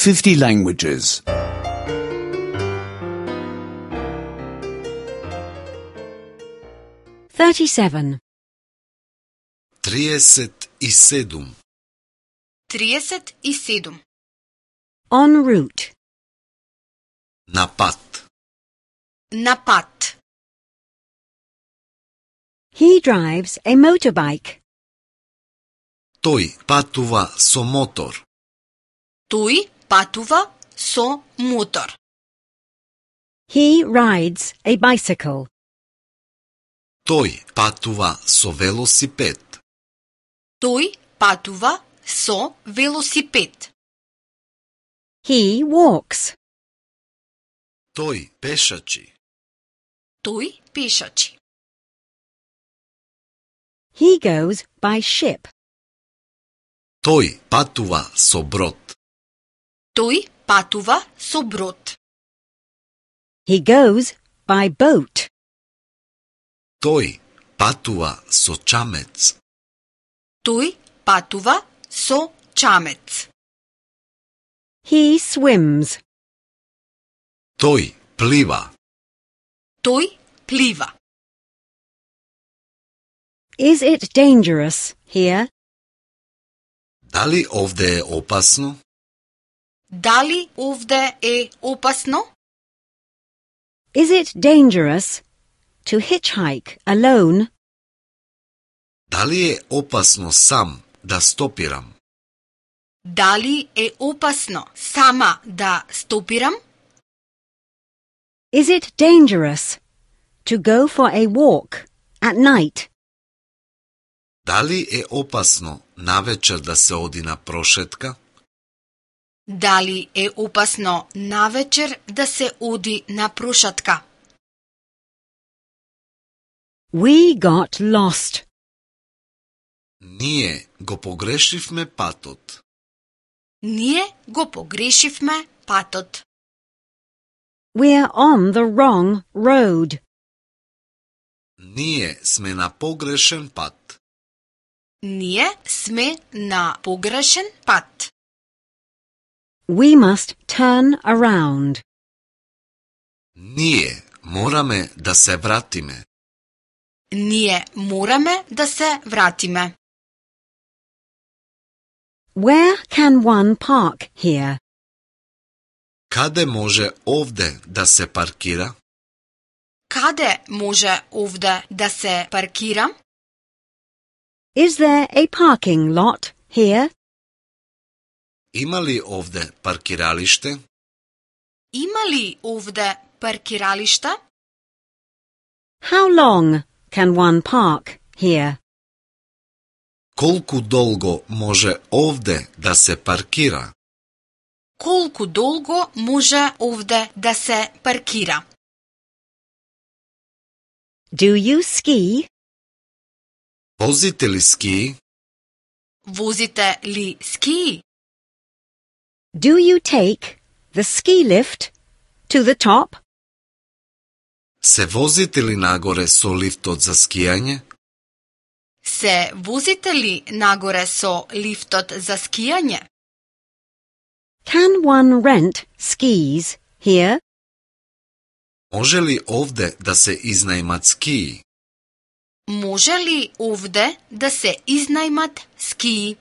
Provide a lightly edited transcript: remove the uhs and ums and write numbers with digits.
50 languages. 37. 37. 37. En route. На пат. На пат. He drives a motorbike. Тој патува со мотор. Тој патува со мотор. He rides a bicycle. Тој патува со велосипед. Тој патува со велосипед. He walks. Тој пешачи. Тој пешачи. He goes by ship. Тој патува со брод. Тој патува со брод. He goes by boat. Тој патува со чамец. Тој патува со чамец. He swims. Тој плива. Тој плива. Is it dangerous here? Дали овде е опасно? Дали овде е опасно? Is it dangerous to hitchhike alone? Дали е опасно сам да стопирам? Дали е опасно сама да стопирам? Is it dangerous to go for a walk at night? Дали е опасно навечер да се оди на прошетка? Дали е опасно навечер да се оди на прошетка? We got lost. Ние го погрешивме патот. Ние го погрешивме патот. We're on the wrong road. Ние сме на погрешен пат. Ние сме на погрешен пат. We must turn around. Ние мораме да се вратиме. Ние мораме да се вратиме. Where can one park here? Каде може овде да се паркира? Каде може овде да се паркира? Is there a parking lot here? Има ли овде паркиралиште? Има ли овде паркиралишта? How long can one park here? Колку долго може овде да се паркира? Колку долго може овде да се паркира? Do you ski? Возите ли ски? Возите ли ски? Do you take the ski lift to the top? Се возите ли нагоре со лифтот за скијање? Се возите ли нагоре со лифтот за скијање? Can one rent skis here? Може ли овде да се изнајмат скии? Може ли овде да се изнајмат скии?